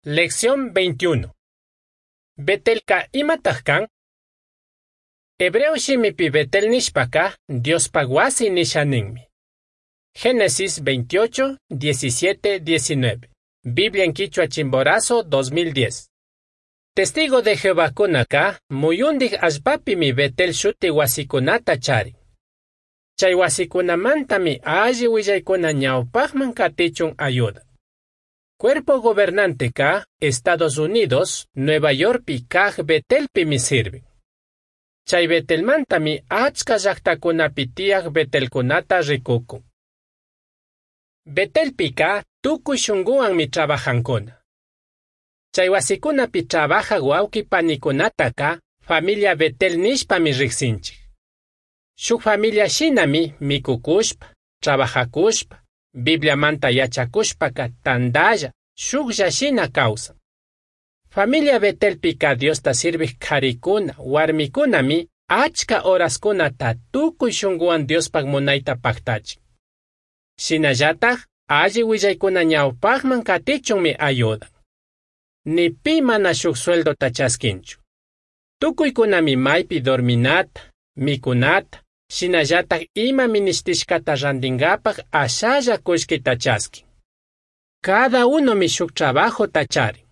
Lección 21. Betelka imataq kan? Hebreo shimipi Betel nishpaka Diospaq wasi nisha ninmi. Génesis 28, 17, 19. Biblia en Quichua Chimborazo 2010. Testigo de Jehová kunaka muyundik allpapimi Betel shuti wasikunata charin. Chay wasikunamantami alli willaykuna ñawpaqman katichun ayuda. Cuerpo Gobernante ka Estados Unidos, Nueva Yorkpi kaq Betelpimi sirvin. Chay Betelmantami achka llaqtakunapi tiyaq Betelkunata rikukun. Betelpika tukuy shunquwanmi trabajankuna. Chay wasikunapi trabajaq wawqi panikunataka familia Betel nishpami riqsinchik. Shuk familia shinami mikukushpa, trabajakushpa, Bibliamanta yachakushpaka tandalla, shuklla shina kawsan. Familia Betelpika Diosta sirvik qarikuna, warmikunami achka horaskunata tukuy shunquwan Diospaq munayta paqtachin. Shinallataj alli willaykuna ñawpaqman katichunmi ayudan. Ni pi mana shuk sueldota chaskinchu. Tukuykunami maypi dorminata, mikunata, shinallataj ima minishtishkata rantinkapaq ashalla kullkita chaskin. Cada unomi shuk trabajota charin.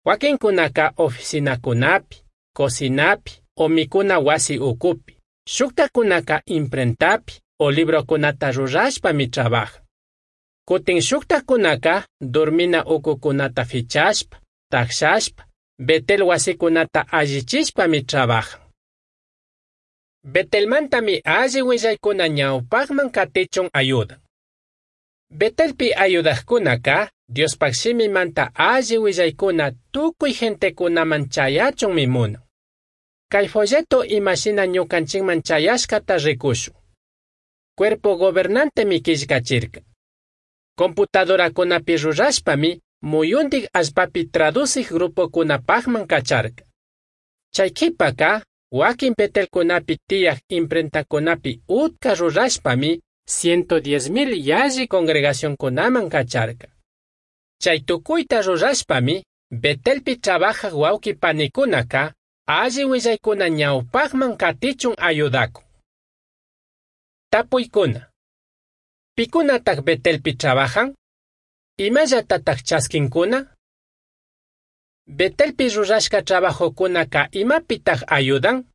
Wakinkunaka oficinakunapi, cocinapi o mikuna wasi ukupi. Shuktakunaka imprentapi o librokunata rurashpami trabajan. Kutin shuktakunaka dormina ukukunata fichashpa, takshashpa, Betel wasikunata allichishpami trabajan. Betelmantami alli willaykuna ñawpaqman katichun ayudan. Betelpi ayudaqkunaka Diospaq shimimanta alli willaykuna tukuy gentekunaman chayachunmi munan. Kay folleto imashina ñukanchikman chayashkata rikushun. Cuerpo gobernantemi killkachirka. Computadorakunapi rurashpami muyundik allpapi traducik grupokunapaqman kacharka. Chay qhipaka wakin Betelkunapi tiyaq imprentakunapi utka rurashpami 110,000 yalli congregacionkunaman kacharka. Chay tukuyta rurashpami Betelpi trabajaq wawqi panikunaka alli willaykuna ñawpaqman katichun ayudakun. Tapuykuna. Pikunataq Betelpi trabajan? Imallatataq chaskinkuna? Betelpi rurashka trabajokunaka imapitaq ayudan?